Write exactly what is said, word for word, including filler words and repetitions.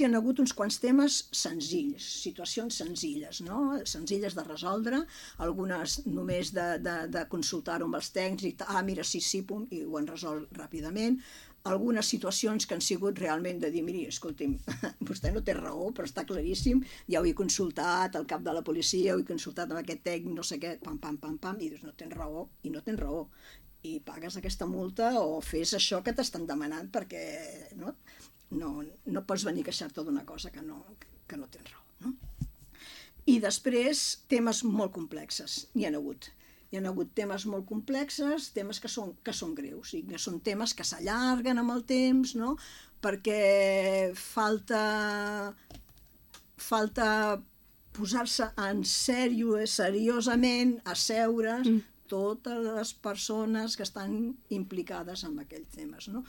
Hi ha hagut uns quants temes senzills, situacions senzilles, no? Senzilles de resoldre, algunes només de, de, de consultar-ho amb els tècnics, ah, mira, sí, sí, pum, i ho han resolt ràpidament. Algunes situacions que han sigut realment de dir, miri, escolti'm, vostè no té raó, però està claríssim, ja ho he consultat al cap de la policia, ho he consultat amb aquest tècnic, no sé què, pam, pam, pam, pam, i dius, no tens raó, i no tens raó, i pagues aquesta multa o fes això que t'estan demanant perquè, no? No, no pots venir a queixar-te d'una cosa que no, que no tens raó, no? I després, temes molt complexes, n'hi ha hagut. Hi ha hagut temes molt complexes, temes que són, que són greus, i que són temes que s'allarguen amb el temps, no? Perquè falta, falta posar-se en sèrio, seriosament, a seure mm. totes les persones que estan implicades en aquells temes, no?